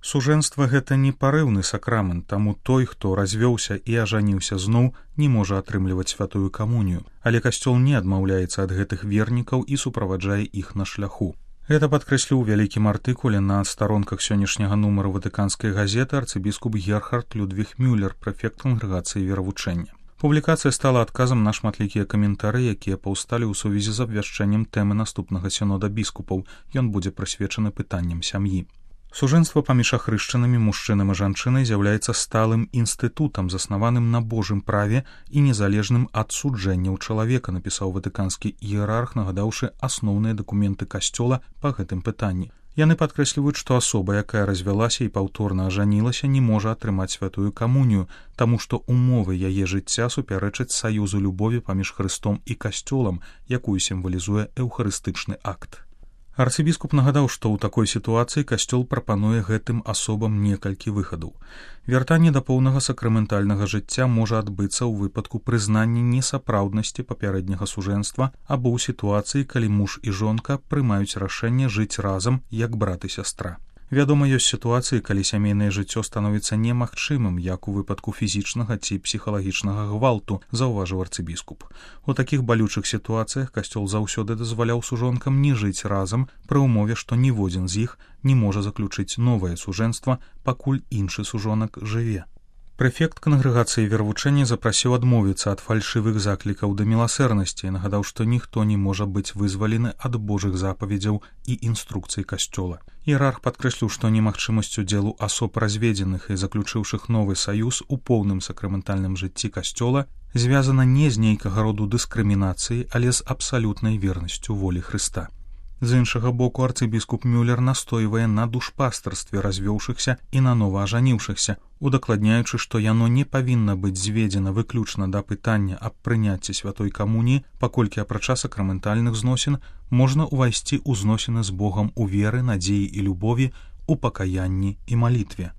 Сужэнства гэта не парыўны сакрамент, таму той, хто развёўся і ажаніўся зноў, не можа атрымліваць святую камунію, але касцёл не адмаўляецца ад гэтых вернікаў і суправаджае іх на шляху. Гэта падкрэсліў у вялікім артыкуле на старонках сённяшняга нумару ватыканскай газеты арцыбіскуп Герхард Людвіг Мюллер, прэфект кангрэгацыі веравучэння. Публікацыя стала адказам на шматлікія каментары, якія паўсталі ў сувязі з абвяшчэннем тэмы наступнага сінода біскупаў. Ён будзе прысвечаны пытанням сям'і. Сужэнства паміж ахрышчанымі мужчынам і жанчынай з'яўляецца сталым інстытутам, заснаваным на Божым праве і незалежным ад суджэнняў чалавека, напісаў ватыканскі іерарх, нагадаўшы асноўныя дакументы касцёла па гэтым пытанні. Яны падкрэсліваюць, што асоба, якая развялася і паўторна ажанілася, не можа атрымаць святую камунію, таму што умовы яе жыцця супярэчаць саюзу любові паміж Хрыстом і касцёлам, якую сімвалізуе эўхарыстычны акт. Арцыбіскуп нагадаў, што ў такой сітуацыі касцёл прапануе гэтым асобам некалькі выхадаў. Вяртанне да поўнага сакраментальнага жыцця можа адбыцца ў выпадку прызнання несапраўднасці папярэдняга сужэнства або ў сітуацыі, калі муж і жонка прымаюць рашэнне жыць разам як брат і сястра. Вядома, ёсць сітуацыі, калі сямейнае жыццё становіцца немагчымым, як у выпадку фізічнага ці псіхалагічнага гвалту, заўважыў арцыбіскуп. У такіх балючых сітуацыях касцёл заўсёды дазваляў сужонкам не жыць разам пры ўмове, што ніводзін з іх не можа заключыць новае сужэнства, пакуль іншы сужонак жыве. Прэфект кангрэгацыі веравучэння запрасіў адмовіцца ад фальшывых заклікаў да міласэрнасці і нагадаў, што ніхто не можа быць вызвалены ад Божых запаведзяў і інструкцый касцёла. Іерарх падкрэсліў, што немагчымасць удзелу асоб разведзеных і заключыўшых новы саюз у поўным сакраментальным жыцці касцёла звязана не з нейкага роду дыскрымінацыяй, але з абсалютнай вернасцю волі Хрыста. З іншага боку, арцыбіскуп Мюллер настойвае на душпастарстве развёўшыхся і на нова ажаніўшыхся, удакладняючы, што яно не павінна быць зведзена выключна да пытання аб прыняцці святой камуніі, паколькі апрача сакраментальных зносін можна ўвайсці ў зносіны з Богам у веры, надзеі і любові, у пакаянні і малітве.